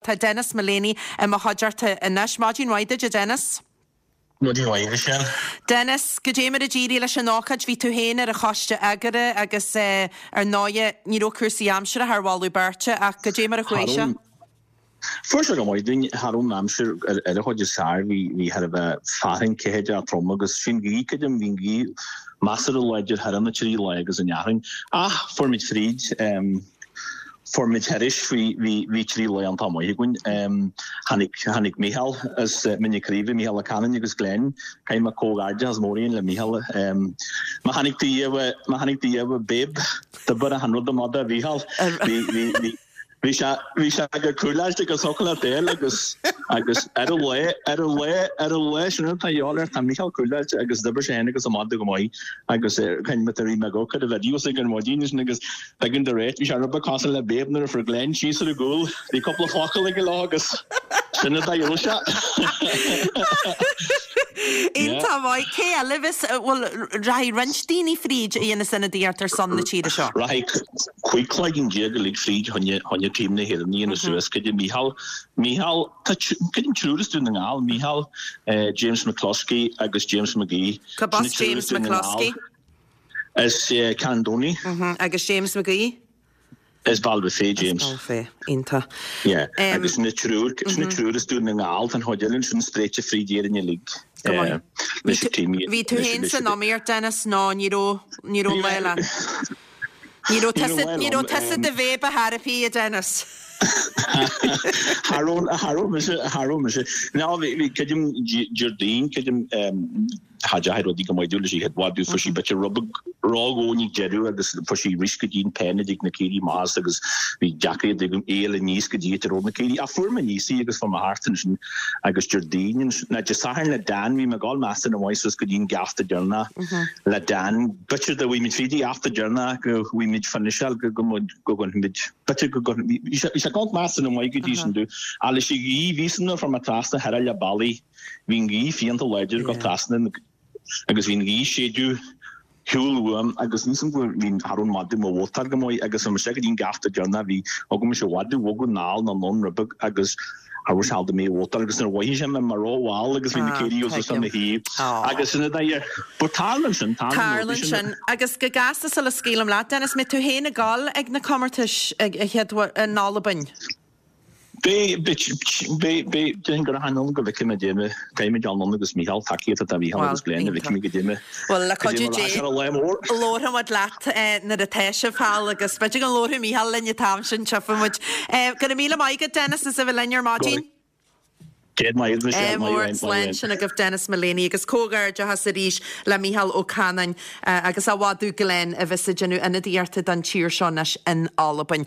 Tá Denis Mullaney i mo chuideachta anois. Maidin mhaith duit, a Dennis. Maidin mhaith, a Mhichelle. Dennis, goidé mar a d'éirigh leis an ócáid? Bhí tú féin ar an choiste eagraithe agus ar ndóighe ní raibh cúrsaí aimsire thar mholadh beirte ach goidé mar a chuaigh sé? Fuair sé go maith dúinn. Cha raibh an aimsir ar a chuid is fearr. Bhí bhí thar a bheith fearthainn ceathaideach trom agus bhí an ghaoth, creidim, bhí an ghaoth measartha láidir thar na trí lá agus an fhearthainn. Ach fuair muid fríd. Fuair muid thairis, bhí, bhí, bhí trí lá iontach maith againn. Tháinig, tháinig Mícheál as Mín na Craoibhe, Mícheál Ó Canainn agus Glenn, caithfidh mé comhghairdeachas mór a dhéanamh le Mícheál. Má chonaic tú riamh, má chonaic tú riamh Babe, d'oibir achan rud amach do Mhícheál. Bhí, bhí, bhí, bhí sé, bhí sé go cúláilte agus thiocfadh leat fháil agus, agus ar an lá, ar an lá, ar an lá sin atá a dhíobháil air, tá Mícheál cúláilte agus d'oibir sé féin agus a mhadadh go maith agus caithfidh mé tar éis mé ag amharc ar an videos ag an mhaidin sin agus Tuigeann do réit, bhí sé rud beag cosúil le Babe nuair a fuair Glenn síos ar an gcúl, bhí cúpla focal aige leo agus sin an dóigh a raibh sé. Iontach maith. Cé eile a bheas, bhuel, rachaidh roinnt daoine fríd a dhéanas ionadaíocht ar son na tíre seo? Rachaidh 15 cloigeann uilig fríd choinne, choinne team na hÉireann a dhéanamh suas. Creidim Mícheál, Mícheál, tá, creidim triúr as Dún na nGall, Mícheál, James McCloskey agus James McGee. Cad as James McCloskey? As Carn Domhnach. Agus James McGee? As Baile Bhúirne, James. As Baile Bhúirne, iontach. Yeah, agus na triúr, sin na triúr as Dún na nGall, tá an chuid eile ansin spréite fríd Éirinn uilig. Go maith. Bhí tú féin san iomaíocht, Dennis, nó ní raibh, ní raibh lá leat? Ní raibh tusa, ní raibh tusa do Bhabe ar chor ar bith, a Dennis. Cha raibh, cha raibh mise, cha raibh mise. Ná, bhí, bhí, creidim, Déardaoin, creidim, Cha dteachaidh rudaí go maith dúinn leis an chéad mhadadh, fuair sí b'fhéidir rud beag ródhomhain ag deireadh agus fuair sí arís go dtí an pen ag na caoirigh amach agus bhí deacracht agam é a fháil aníos go dtí áit a raibh na caoirigh. Ach fuair mé aníos í agus fuair mé thart ansin agus Déardaoin ansin, ná Dé Sathairn le Dan, bhí mé ag dul measartha maith suas go dtí an geafta deireanach le Dan. B'fhéidir dá bhfuigh muid fríd an gheafta deireanach go bhfuigh muid finiseáil go go go gcuirfimid, b'fhéidir go gcuirfimid, bhí sé ag dul measartha maith go dtí sin dú. Ach leis an ghaoth, bhí san nuair a fuair mé trasna thoir le bealaí. Bhí an ghaoth fiánta láidir ag dul trasna agus bhí an ghaoth ag séideadh shiúl uaim agus níl 's agam go bhí cha raibh an madadh mo mhótar go maith agus bhí mise go dtí an geafta deireanach bhí thug mise mhadadh bhogadh anall nó anonn rud beag agus cha raibh seal do mé mhótar agus nuair a mhothaigh sé mé mar ró-mhall agus bhí na caoirigh os a mo thaobh agus sin a dóigh but tarlaíonn sin tarlaíonn sin agus go gasta sula scaoilim leat Dennis mbeidh tú féin ag dul ag na comórtais ag a chéad in Albain. Beidh, beidh, beidh, déarfainn go rachainn ann go bhfeicfidh mé goidé, caithfidh mé dul ann agus Mícheál, tacaíocht atá Mícheál agus Glenn a bhfeicfidh mé goidé, Bhuel, le cuidiú Dé, labharfaidh muid leat nuair atá sibh thall agus b'fhéidir go labharfaidh Mícheál linn an t-am sin, tchífidh muid. Go raibh míle maith agat Dennis as a bheith linn ar maidin. Céad maith agat Michelle, maith mór, slán sin agaibh Dennis Mullaney agus comhghairdeachas arís le Mícheál Ó Canainn agus a mhadadh Glenn a bheas ag déanamh ionadaíochta don tír seo anois in Albain.